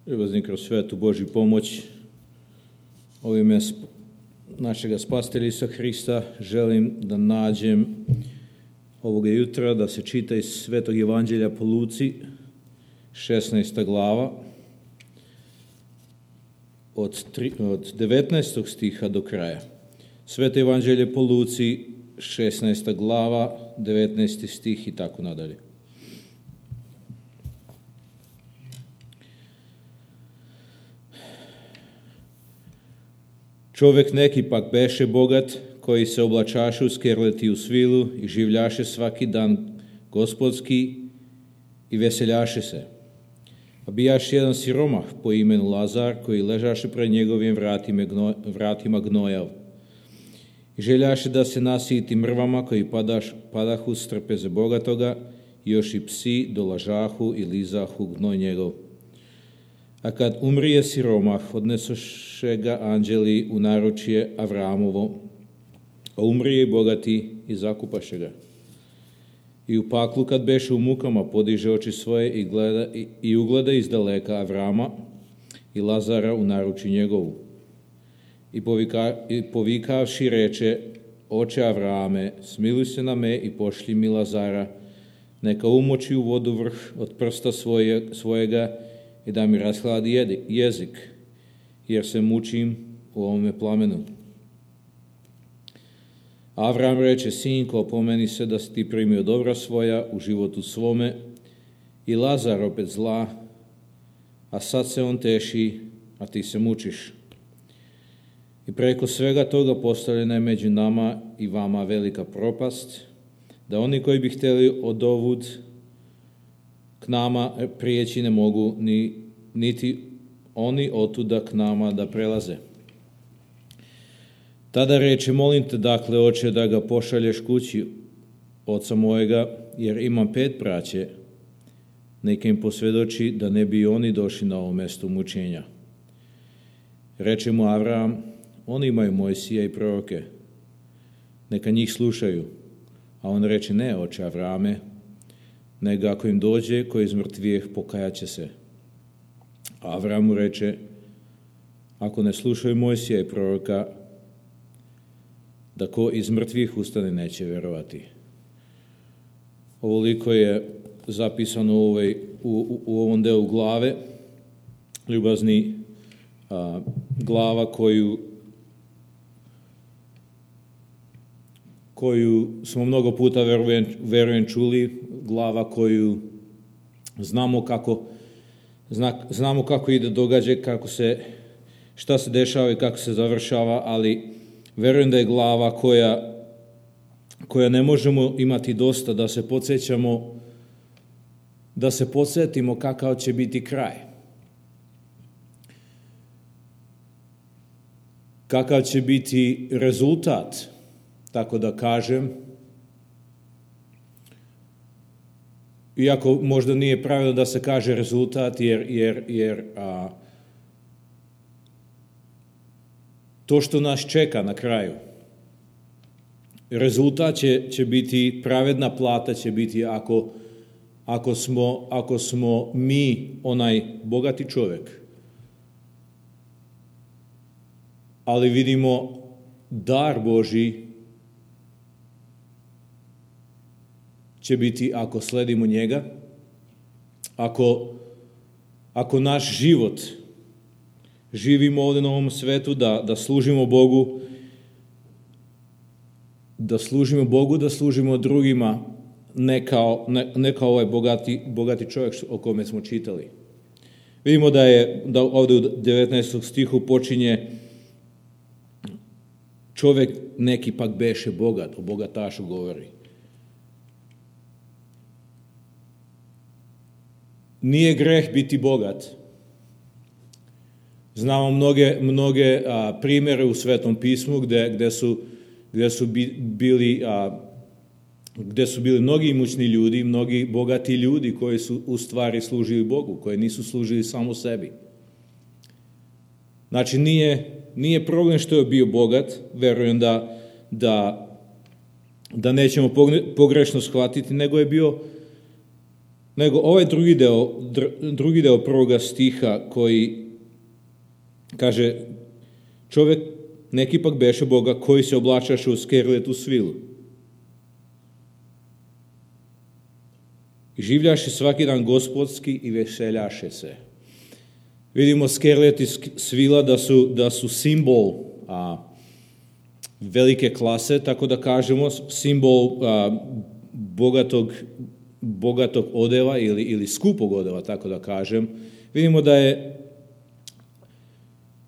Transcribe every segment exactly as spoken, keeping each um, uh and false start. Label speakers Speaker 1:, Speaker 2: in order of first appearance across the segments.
Speaker 1: Ljubazni kroz svetu Božju pomoć, u ime našega spasitelja Isusa Hrista želim da nađem ovoga jutra da se čita iz Svetog Evanđelja po Luci, šesnaesta glava, od, tri, od devetnaestog stiha do kraja. Sveto Evanđelje po Luci, šesnaesta glava, devetnaesti stih i tako nadalje. Čovek neki pak beše bogat, koji se oblačaše u skerleti u svilu i življaše svaki dan gospodski i veseljaše se. A bijaš jedan siromah po imenu Lazar, koji ležaše pred njegovim vratima, gno, vratima gnojav. I željaše da se nasiti mrvama koji padaš, padahu s trpeze bogatoga, još i psi dolažahu i lizahu gnoj njegov. A kad umrije siromah, odnesoše ga anđeli u naručje Avramovo, a umrije i bogati i zakupaše ga. I u paklu kad beše u mukama, podiže oči svoje i, gleda, i, i ugleda izdaleka Avrama i Lazara u naručju njegovu. I, povika, i povikavši reče, oče Avrame, smiluj se na me i pošli mi Lazara, neka umoči u vodu vrh od prsta svoje, svojega i da mi rashladi jezik, jer se mučim u ovome plamenu. Avram reče, sinko, pomeni se da si ti primio dobra svoja u životu svome i Lazar opet zla, a sad se on teši, a ti se mučiš. I preko svega toga postavljena je među nama i vama velika propast, da oni koji bi htjeli odovud k nama prijeći ne mogu, ni, niti oni otuda k nama da prelaze. Tada reče, molim te, dakle, oče, da ga pošalješ kući oca mojega, jer imam pet braće, neka im posvjedoči da ne bi oni došli na ovo mjesto mučenja. Reče mu Avram, oni imaju Mojsija i proroke, neka njih slušaju. A on reče, ne, oče Avrame, nego ako im dođe ko iz mrtvijeh, pokajat će se. A Avram mu reče, ako ne slušaju Mojsija i proroka, da ko iz mrtvih ustane neće vjerovati. Ovoliko je zapisano u, ovoj, u, u ovom delu glave, ljubazni a, glava koju, koju smo mnogo puta verujem, verujem čuli, glava koju znamo kako, zna, znamo kako ide događaj, kako se, šta se dešava i kako se završava, ali verujem da je glava koja, koja ne možemo imati dosta, da se podsjećamo, da se podsjetimo kakav će biti kraj. Kakav će biti rezultat, tako da kažem, iako možda nije pravilno da se kaže rezultat, jer, jer, jer a, to što nas čeka na kraju, rezultat će, će biti, pravedna plata će biti ako, ako, smo, ako smo mi onaj bogati čovjek. Ali vidimo dar Božji će biti ako sledimo njega, ako, ako naš život živimo ovdje na ovom svetu, da, da služimo Bogu, da služimo Bogu, da služimo drugima, ne kao, ne, ne kao ovaj bogati, bogati čovjek o kome smo čitali. Vidimo da je, da ovdje u devetnaestom stihu počinje, čovjek neki pak beše bogat, o bogatašu govori. Nije greh biti bogat. Znamo mnoge, mnoge a, primjere u Svetom pismu gdje, gdje, su, gdje, su bi, bili, a, gdje su bili mnogi imućni ljudi, mnogi bogati ljudi koji su u stvari služili Bogu, koji nisu služili samo sebi. Znači nije, nije problem što je bio bogat, verujem da, da, da nećemo pogrešno shvatiti, nego je bio nego ovaj drugi deo, drugi deo prvoga stiha koji kaže, čovjek neki pak beše Boga koji se oblačaše u skerletu svilu. I življaše svaki dan gospodski i veseljaše se. Vidimo skerlet i svila da su, da su simbol a, velike klase, tako da kažemo, simbol a, bogatog, bogatog odeva ili, ili skupog odeva, tako da kažem. Vidimo da je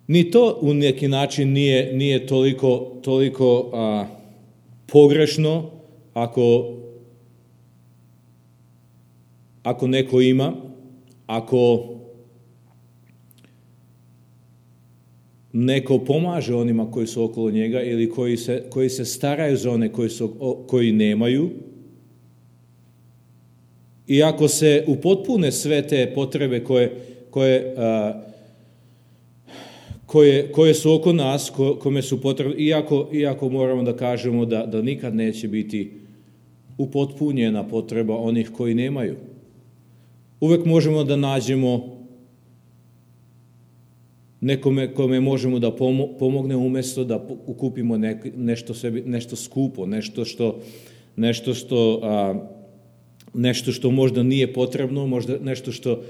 Speaker 1: ni to u neki način nije, nije toliko, toliko a, pogrešno ako, ako neko ima, ako neko pomaže onima koji su okolo njega ili koji se, koji se staraju za one koji, su, koji nemaju. I ako se upotpune sve te potrebe koje, koje, a, koje, koje su oko nas, ko, kome su potrebne, iako, iako moramo da kažemo da, da nikad neće biti upotpunjena potreba onih koji nemaju. Uvek možemo da nađemo nekome kome možemo da pomogne umjesto da kupimo nešto, sebi, nešto skupo, nešto što, nešto, što, a, nešto što možda nije potrebno, možda nešto što,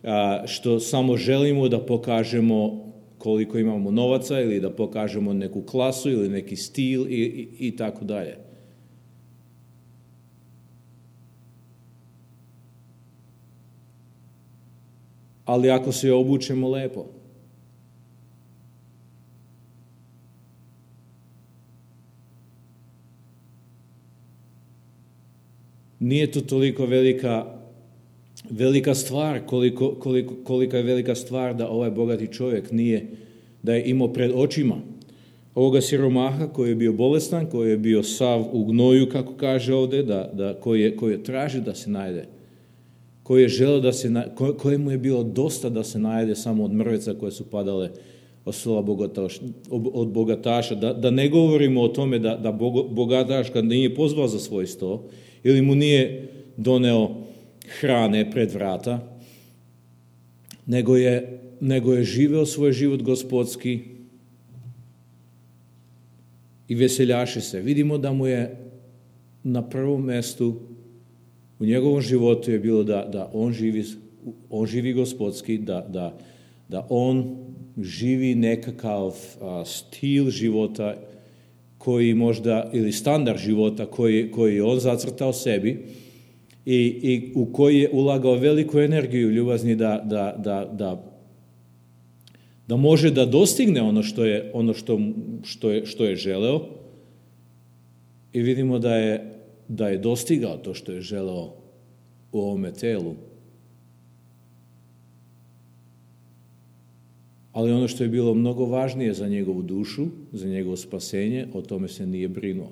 Speaker 1: a, što samo želimo da pokažemo koliko imamo novaca ili da pokažemo neku klasu ili neki stil i, i, i tako dalje. Ali ako se obučemo lepo, nije to toliko velika, velika stvar, koliko, koliko, kolika je velika stvar da ovaj bogati čovjek nije, da je imao pred očima ovoga siromaha koji je bio bolestan, koji je bio sav u gnoju, kako kaže ovdje, da, da, koji, je, koji je traži da se najde, koji je želeo da se, kojemu je bilo dosta da se najde samo od mrvica koje su padale od stola bogataša, od bogataša. Da, da ne govorimo o tome da, da bogataš kad nije pozvao za svoj sto, ili mu nije doneo hrane pred vrata, nego je, nego je živeo svoj život gospodski i veseljaše se. Vidimo da mu je na prvom mjestu u njegovom životu je bilo da, da on, živi, on živi gospodski, da, da, da on živi nekakav a, stil života koji možda, ili standard života koji, koji je on zacrtao sebi i, i u koji je ulagao veliku energiju ljubazni da, da, da, da, da može da dostigne ono što je, ono što, što je, što je želeo i vidimo da je, da je dostigao to što je želeo u ovome telu. Ali ono što je bilo mnogo važnije za njegovu dušu, za njegovo spasenje, o tome se nije brinuo.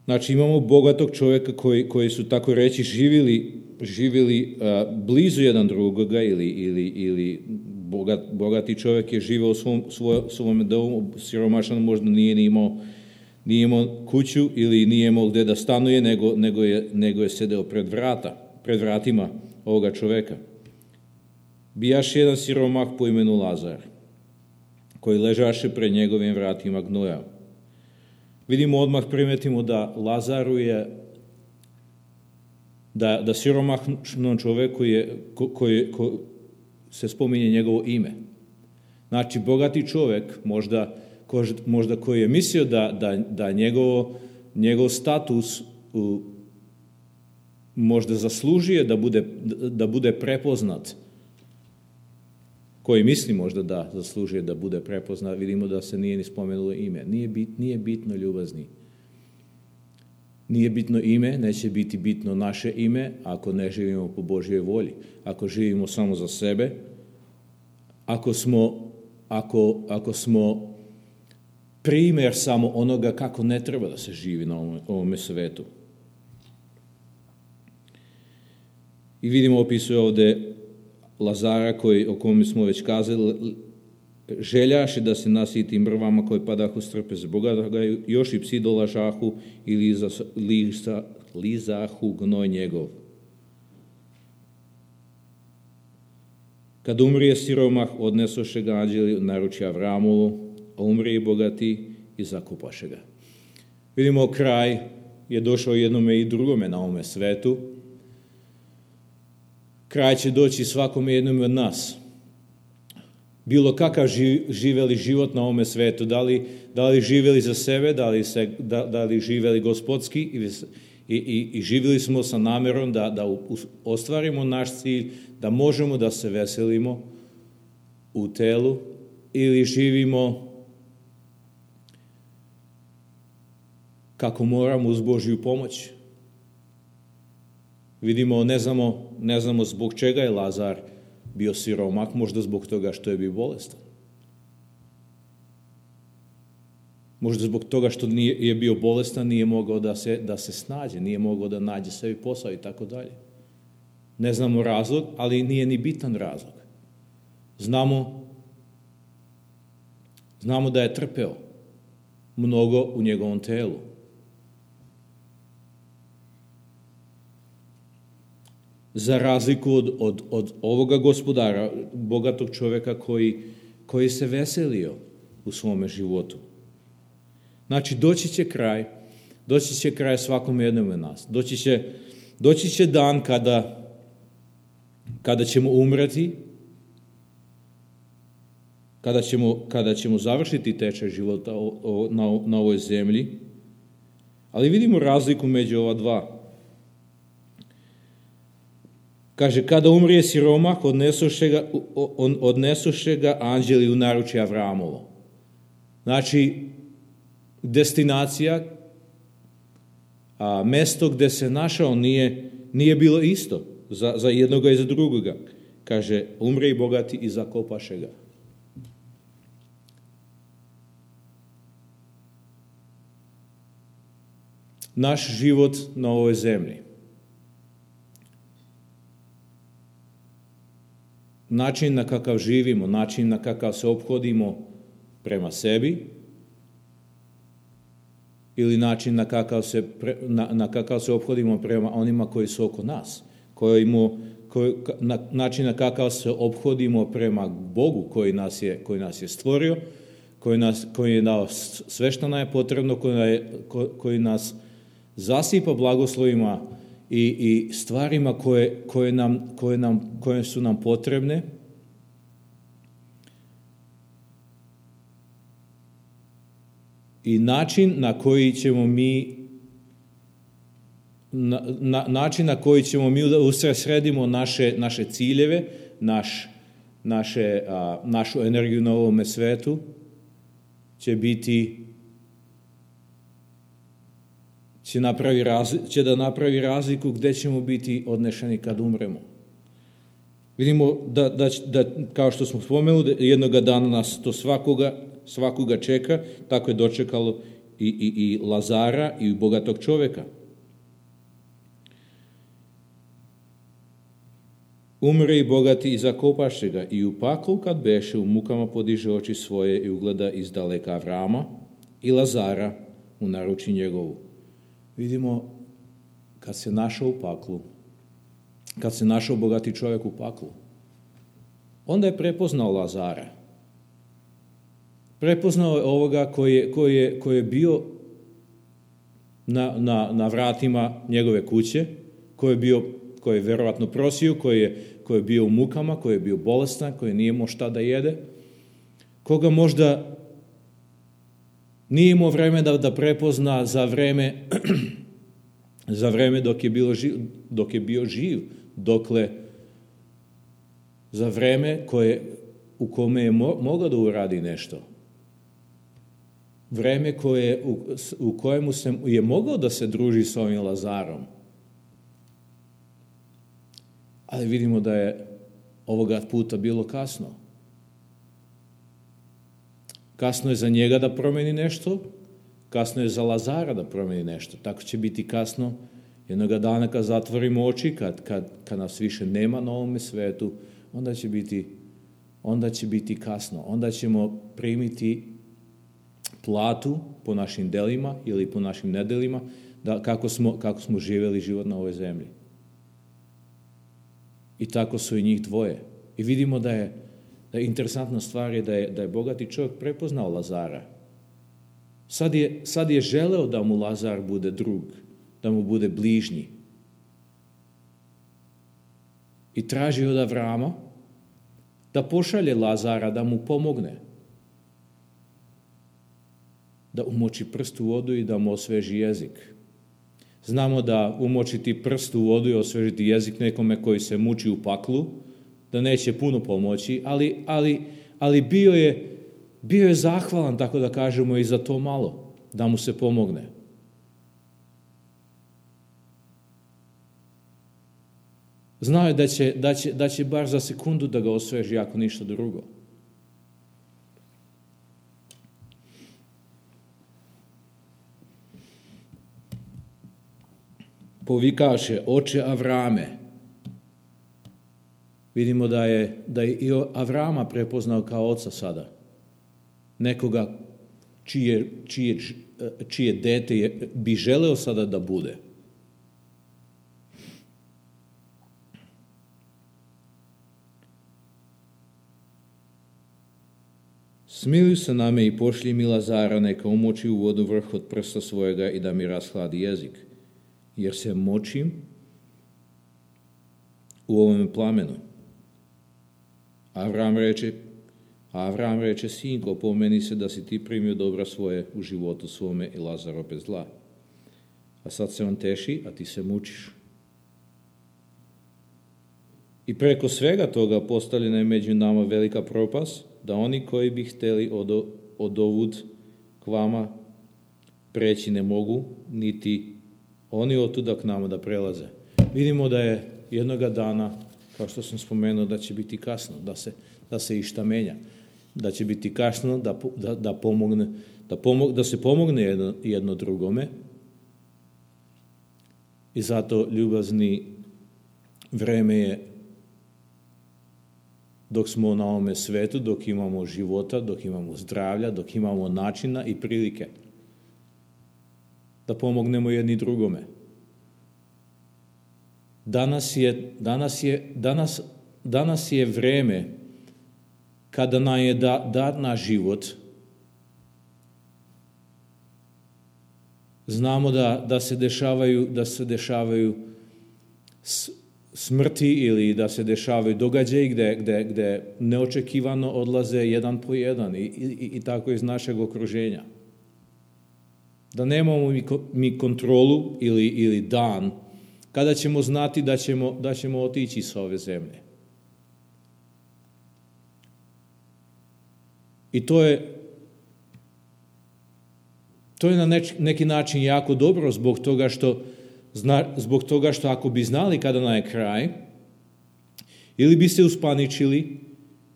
Speaker 1: Znači, imamo bogatog čovjeka koji, koji su, tako reći, živjeli, živjeli a, blizu jedan drugoga ili, ili, ili bogat, bogati čovjek je živio u svom, svoj, svom domu, siromašan možda nije ni imao Nije imao kuću ili nije imao gdje da stanuje, nego, nego, je, nego je sedeo pred vrata, pred vratima ovoga čovjeka. Bijaš jedan siromah po imenu Lazar, koji ležaše pred njegovim vratima gnoja. Vidimo odmah, primetimo da Lazaru je, da, da siromahnom čovjeku je, ko, koji, ko, se spominje njegovo ime. Znači, bogati čovjek, možda možda koji je mislio da, da, da njegovo, njegov status u, možda zaslužuje da bude, da bude prepoznat, koji misli možda da zaslužuje da bude prepoznat, vidimo da se nije ni spomenulo ime. Nije, bit, nije bitno ljubazni. Nije bitno ime, neće biti bitno naše ime ako ne živimo po Božjoj volji. Ako živimo samo za sebe, ako smo, ako, ako smo primjer samo onoga kako ne treba da se živi na ovome, ovome svetu. I vidimo, opisuje ovdje Lazara, koji, o kome smo već kazali, željaše da se nasiti mrvama koji padahu s trpeze Boga, da ga još i psi dolažahu i liza, liza, lizahu gnoj njegov. Kad umrije siromah, odnesoše ga anđeli naruči Avramovu, a umrije bogati i zakopaše ga. Vidimo, kraj je došao jednome i drugome na ovome svetu. Kraj će doći svakome jednome od nas. Bilo kakav živeli život na ovome svetu, da li, da li živeli za sebe, da li, se, da, da li živeli gospodski i, i, i živeli smo sa namerom da, da ostvarimo naš cilj, da možemo da se veselimo u telu, ili živimo kako moramo uz Božju pomoć. Vidimo, ne znamo, ne znamo zbog čega je Lazar bio siromah, možda zbog toga što je bio bolestan. Možda zbog toga što nije, je bio bolestan, nije mogao da se, da se snađe, nije mogao da nađe sebi posao i tako dalje. Ne znamo razlog, ali nije ni bitan razlog. Znamo, znamo da je trpeo mnogo u njegovom telu. Za razliku od, od, od ovoga gospodara, bogatog čovjeka koji, koji se veselio u svome životu. Znači, doći će kraj, doći će kraj svakom jednom od nas. Doći će, doći će dan kada, kada ćemo umreti, kada ćemo, kada ćemo završiti tečaj života na, na ovoj zemlji, ali vidimo razliku među ova dva. Kaže, kada umrije siromah, odnesoše ga, odnesoše ga anđeli u naručje Avramovo. Znači, destinacija, a mesto gde se našao nije, nije bilo isto za, za jednoga i za drugoga. Kaže, umre i bogati i zakopaše ga. Naš život na ovoj zemlji, način na kakav živimo, način na kakav se ophodimo prema sebi, ili način na kakav se, pre, na, na kakav se ophodimo prema onima koji su oko nas, kojimo, koji, na, način na kakav se ophodimo prema Bogu koji nas je, koji nas je stvorio, koji, nas, koji je dao sve što nam je potrebno, koji, je, koji nas zasipa blagoslovima i, i stvarima koje, koje, nam, koje, nam, koje su nam potrebne. I način na koji ćemo mi na, na, način na koji ćemo mi da usredsredimo naše, naše ciljeve, naš, naše, a, našu energiju na ovome svetu, će biti će, napravi razli, će da napravi razliku gde ćemo biti odnešeni kad umremo. Vidimo da, da, da kao što smo spomenuli, jednoga dana nas to svakoga svakoga čeka, tako je dočekalo i, i, i Lazara i bogatog čoveka. Umre i bogati i zakopaše ga i u paklu kad beše u mukama podiže oči svoje i ugleda izdaleka Avrama i Lazara u naruči njegovu. Vidimo, kad se našao u paklu, kad se našao bogati čovjek u paklu, onda je prepoznao Lazara. Prepoznao je ovoga koji je, koji je, koji je bio na, na, na vratima njegove kuće, koji je bio, koji je verovatno prosio, koji je, koji je bio u mukama, koji je bio bolestan, koji nije imao šta da jede, koga možda nije imao vreme da, da prepozna za vreme, za vreme dok je, bilo živ, dok je bio živ, dokle za vreme koje, u kome je mo, mogao da uradi nešto. Vreme koje, u, u kojemu se, je mogao da se druži s ovim Lazarom. Ali vidimo da je ovoga puta bilo kasno. Kasno je za njega da promeni nešto, kasno je za Lazara da promeni nešto. Tako će biti kasno jednoga dana kad zatvorimo oči, kad, kad, kad nas više nema na ovome svetu, onda će biti, onda će biti kasno. Onda ćemo primiti platu po našim delima ili po našim nedelima, da kako smo, kako smo živjeli život na ovoj zemlji. I tako su i njih dvoje. I vidimo da je, da je interesantna stvar je da je, da je bogati čovjek prepoznao Lazara. Sad je, sad je želeo da mu Lazar bude drug, da mu bude bližnji. I traži od Avrama da pošalje Lazara da mu pomogne. Da umoči prst u vodu i da mu osveži jezik. Znamo da umočiti prst u vodu i osvežiti jezik nekome koji se muči u paklu, da neće puno pomoći, ali, ali, ali bio je, bio je zahvalan, tako da kažemo, i za to malo, da mu se pomogne. Znao je da će, da će, da će bar za sekundu da ga osveži, ako ništa drugo. Povikaše, oče Avrame. Vidimo da je, da je i Avrama prepoznao kao oca sada. Nekoga čije, čije, čije dete je, bi želeo sada da bude. Smiluj se na me i pošlji mi Lazara, neka umoči u vodu vrh od prsta svojega i da mi rashladi jezik, jer se močim u ovome plamenu. Avram reče, Avram reče, sinko, pomeni se da si ti primio dobra svoje u životu svome i Lazar opet zla. A sad se on teši, a ti se mučiš. I preko svega toga postavljena je među nama velika propast, da oni koji bi hteli od, od ovud k vama preći ne mogu, niti oni otuda k nama da prelaze. Vidimo da je jednoga dana, kao što sam spomenuo, da će biti kasno, da se, da se išta menja. Da će biti kasno da, da, da, pomogne, da, pomog, da se pomogne jedno, jedno drugome. I zato, ljubazni, vreme je dok smo na ovome svetu, dok imamo života, dok imamo zdravlja, dok imamo načina i prilike da pomognemo jedni drugome. Danas je, danas je, danas, danas je vreme kada nam je da, dat na život. Znamo da, da se dešavaju, da se dešavaju smrti ili da se dešavaju događaji gde, gde, gde neočekivano odlaze jedan po jedan i, i, i tako iz našeg okruženja. Da nemamo mi, mi kontrolu ili, ili dan kada ćemo znati da ćemo, da ćemo otići sa ove zemlje. I to je to je na neki način jako dobro zbog toga što Zna, zbog toga što ako bi znali kada nam je kraj, ili bi se uspaničili,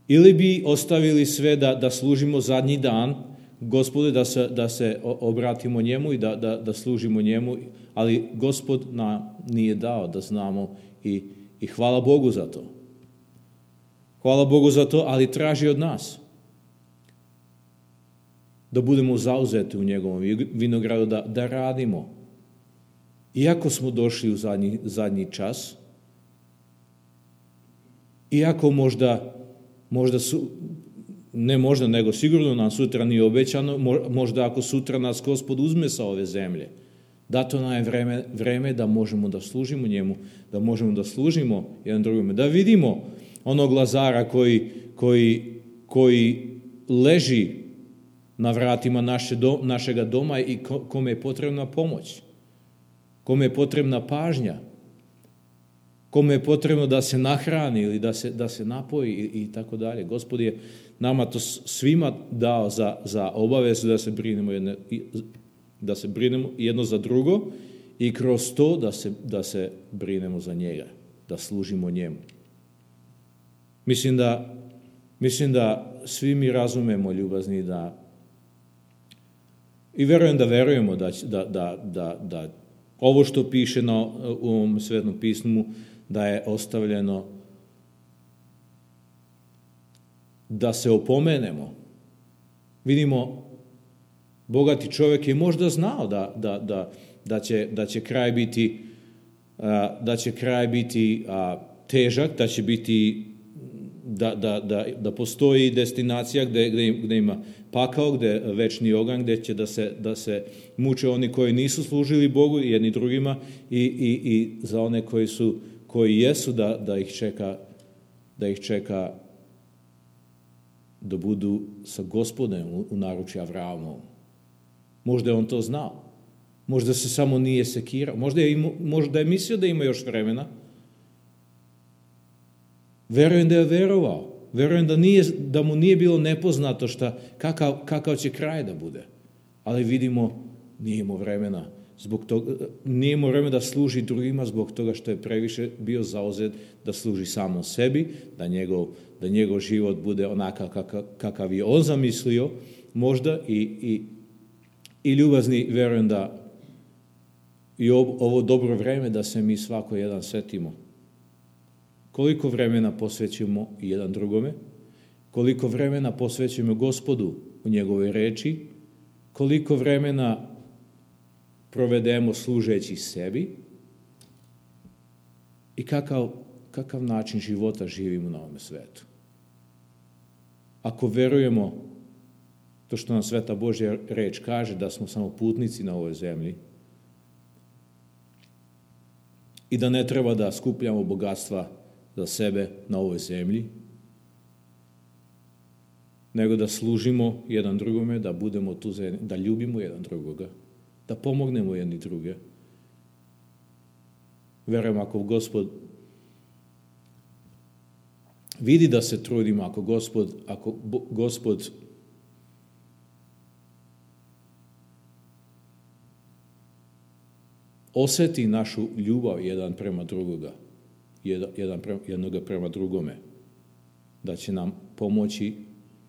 Speaker 1: ili bi ostavili sve da, da služimo zadnji dan, Gospode, da se, da se obratimo njemu i da, da, da služimo njemu, ali Gospod nam nije dao da znamo i, i hvala Bogu za to. Hvala Bogu za to, ali traži od nas da budemo zauzeti u njegovom vinogradu, da, da radimo. Iako smo došli u zadnji, zadnji čas, iako možda, možda su, ne možda, nego sigurno nam sutra nije obećano, možda ako sutra nas Gospod uzme sa ove zemlje, dato nam je vreme, vreme da možemo da služimo njemu, da možemo da služimo jedan drugome, da vidimo onog Lazara koji, koji, koji leži na vratima naše do, našega doma i kome je potrebna pomoć. Kome je potrebna pažnja, kome je potrebno da se nahrani ili da se, da se napoji i, i tako dalje. Gospod je nama to svima dao za, za obavezu da se brinemo jedno, da se brinemo jedno za drugo i kroz to da se, da se brinemo za njega, da služimo njemu. Mislim da, mislim da svi mi razumemo, ljubazni, da i verujem da verujemo da, da, da, da, da ovo što piše na, u ovom Svetom pismu, da je ostavljeno da se opomenemo. Vidimo, bogati čovjek je možda znao da, da, da, da, će, da će kraj biti, da će kraj biti težak, da će biti, da, da, da, da postoji destinacija gdje, gdje, gdje ima pakao, gdje je večni oganj, gdje će da se, da se muče oni koji nisu služili Bogu i jedni drugima i, i, i za one koji su, koji jesu da, da ih čeka, da ih čeka da budu sa Gospodem u, u naručju Avramovom. Možda je on to znao. Možda se samo nije sekirao. Možda je, imao, možda je mislio da ima još vremena. Verujem da je verovao. Verujem da, nije, da mu nije bilo nepoznato šta, kakav, kakav će kraj da bude. Ali vidimo, nije imao vremena. Zbog toga, nije imao vremena da služi drugima zbog toga što je previše bio zauzet da služi samo sebi, da njegov, da njegov život bude onakav kakav, kakav je on zamislio, možda i, i, i ljubazni, verujem da i ovo dobro vreme da se mi svako jedan setimo. Koliko vremena posvećujemo jedan drugome, koliko vremena posvećujemo Gospodu u njegovoj reči, koliko vremena provedemo služeći sebi i kakav, kakav način života živimo na ovom svetu. Ako verujemo to što nam Sveta Božja reč kaže, da smo samo putnici na ovoj zemlji i da ne treba da skupljamo bogatstva za sebe na ovoj zemlji, nego da služimo jedan drugome, da budemo tu, da ljubimo jedan drugoga, da pomognemo jedni druge. Verujem, ako Gospod vidi da se trudimo, ako Gospod, ako Gospod osjeti našu ljubav jedan prema drugoga, jedan prema, jednoga prema drugome, da će nam pomoći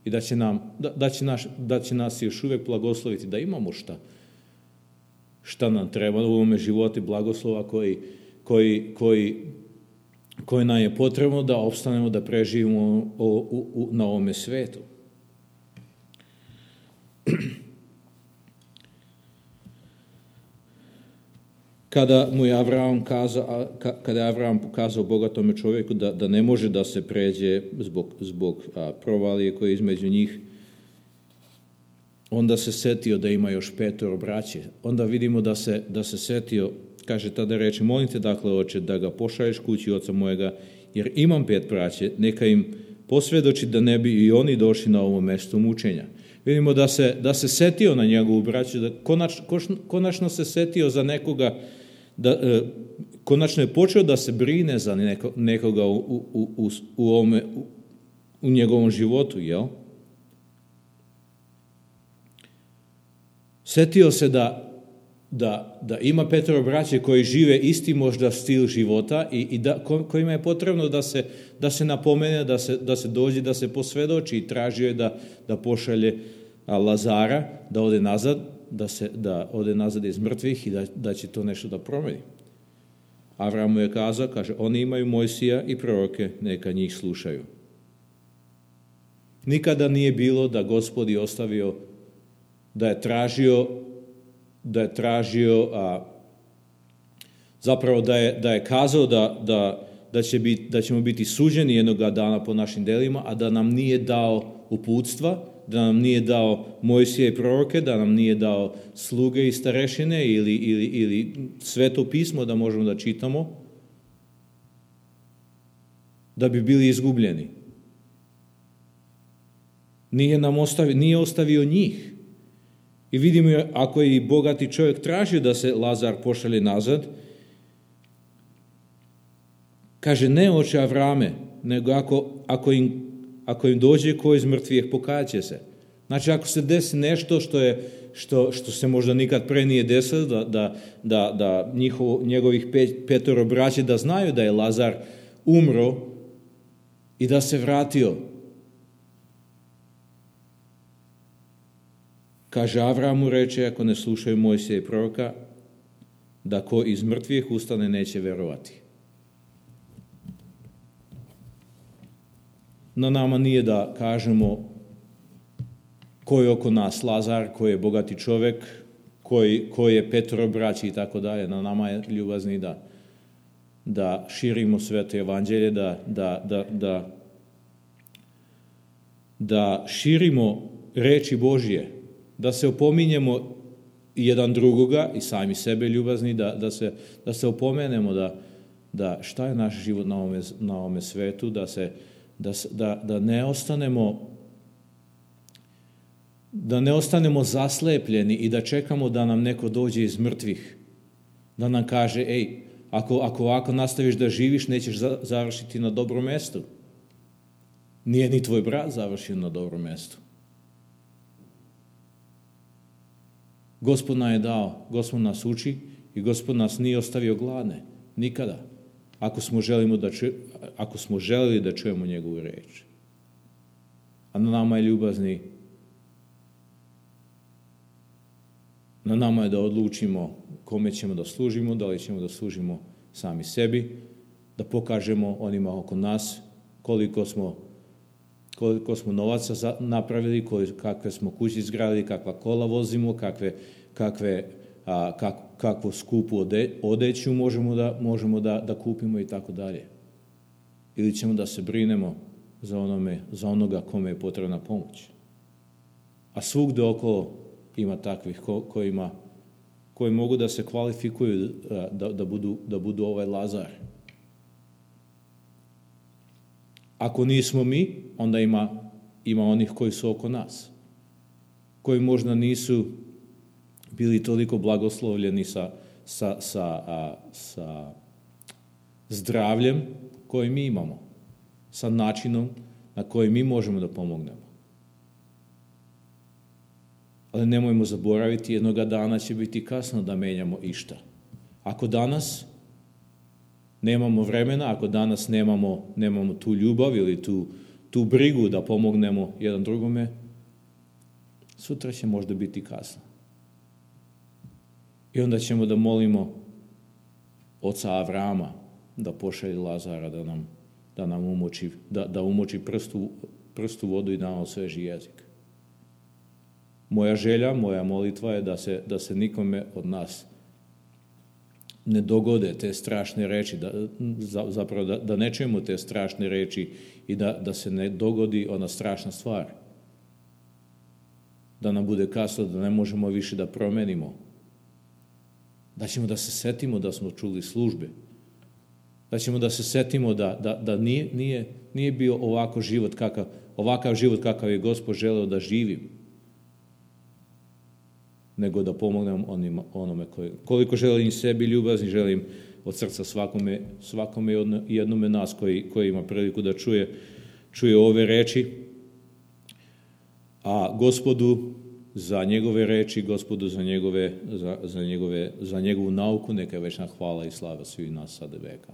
Speaker 1: i da će, nam, da, da, će naš, da će nas još uvijek blagosloviti, da imamo šta, šta nam treba u ovome životu, blagoslova koji, koji, koji, koji nam je potrebno da opstanemo, da preživimo u, u, u, na ovome svetu. Kada mu je Avram kazao, kada je Avram pokazao bogatome čovjeku da, da ne može da se pređe zbog, zbog a, provalije koje je između njih, onda se setio da ima još petoro braće. Onda vidimo da se, da se setio, kaže tada reče, molim te dakle, oče, da ga pošalješ kući oca mojega, jer imam pet braće, neka im posvjedoči da ne bi i oni došli na ovo mjesto mučenja. Vidimo da se, da se setio na njegovu braću, da konač, konačno se setio za nekoga, da, e, konačno je počeo da se brine za neko, nekoga u, u, u, u, ovome, u, u njegovom životu, jel? Setio se da, da, da ima petoro braće koji žive isti možda stil života i, i da, kojima je potrebno da se, da se napomene, da se, da se dođe, da se posvjedoči i tražio je da, da pošalje Lazara, da ode nazad, da, se, da ode nazad iz mrtvih i da, da će to nešto da promeni. Avram mu je kazao, kaže, oni imaju Mojsija i proroke, neka njih slušaju. Nikada nije bilo da Gospod je ostavio, da je tražio, da je tražio, a, zapravo da je, da je kazao da, da, da, će biti, da ćemo biti suđeni jednoga dana po našim delima, a da nam nije dao uputstva, da nam nije dao Mojsija i proroke, da nam nije dao sluge i starešine ili, ili, ili sveto pismo da možemo da čitamo, da bi bili izgubljeni. Nije nam ostavio, nije ostavio njih. I vidimo, ako je i bogati čovjek tražio da se Lazar pošalje nazad, kaže, ne oče Avrame, nego ako, ako im Ako im dođe ko iz mrtvih, pokajat će se. Znači, ako se desi nešto što, je, što, što se možda nikad pre nije desilo, da, da, da, da njihovo, njegovih pet, petoro braće da znaju da je Lazar umro i da se vratio. Kaže, Avramu reče, ako ne slušaju Mojsija i proroka, da ko iz mrtvih ustane neće verovati. na nama nije da kažemo ko je oko nas Lazar, ko je bogati čovjek, koji, koji je petoro braći i tako dalje. Na nama je ljubazni da, da širimo sveto evanđelje, da, da, da, da, da širimo reči Božje, da se opominjemo jedan drugoga i sami sebe ljubazni, da, da, se, da se opomenemo da, da šta je naš život na ovome, na ovome svetu, da, se, da, da, da ne ostanemo da ne ostanemo zaslepljeni i da čekamo da nam neko dođe iz mrtvih, da nam kaže, ej, ako, ako ovako nastaviš da živiš, nećeš za, završiti na dobrom mjestu. Nije ni tvoj brat završio na dobrom mjestu. Gospod nam je dao, Gospod nas uči i Gospod nas nije ostavio gladne. Nikada. Ako smo, želimo da ču, ako smo želili da čujemo njegovu reč. A na nama je ljubazni, na nama je da odlučimo kome ćemo da služimo, da li ćemo da služimo sami sebi, da pokažemo onima oko nas koliko smo, koliko smo novaca napravili, kakve smo kuće izgradili, kakva kola vozimo, kakve, kakve, a, kak, kakvu skupu ode, odeću možemo, da, možemo da, da kupimo i tako dalje. Ili ćemo da se brinemo za, onome, za onoga kome je potrebna pomoć. A svugde okolo ima takvih ko, kojima, koji mogu da se kvalifikuju da, da, budu, da budu ovaj Lazar. Ako nismo mi, onda ima, ima onih koji su oko nas, koji možda nisu bili toliko blagoslovljeni sa, sa, sa, a, sa zdravljem koji mi imamo, sa načinom na koji mi možemo da pomognemo. Ali nemojmo zaboraviti, jednoga dana će biti kasno da menjamo išta. Ako danas nemamo vremena, ako danas nemamo, nemamo tu ljubav ili tu, tu brigu da pomognemo jedan drugome, sutra će možda biti kasno. I onda ćemo da molimo oca Avrama da pošalje Lazara, da nam, da nam umoči, da, da umoči prstu, prstu vodu i da nam osveži jezik. Moja želja, moja molitva je da se, da se nikome od nas ne dogode te strašne reči, da, zapravo da, da ne čujemo te strašne reči i da, da se ne dogodi ona strašna stvar. Da nam bude kasno, da ne možemo više da promenimo. Da ćemo da se setimo da smo čuli službe. Da ćemo da se setimo da, da, da nije, nije, nije bio ovako život kakav, ovakav život kakav je Gospod želeo da živim, nego da pomognem onima, onome koji, koliko želim sebi ljubazni, želim od srca svakome, svakome i jednome nas koji, koji ima priliku da čuje, čuje ove reči, a Gospodu za njegove reči, Gospodu za njegove, za, za njegove, za njegovu nauku, neka je večna hvala i slava svih nas sada veka.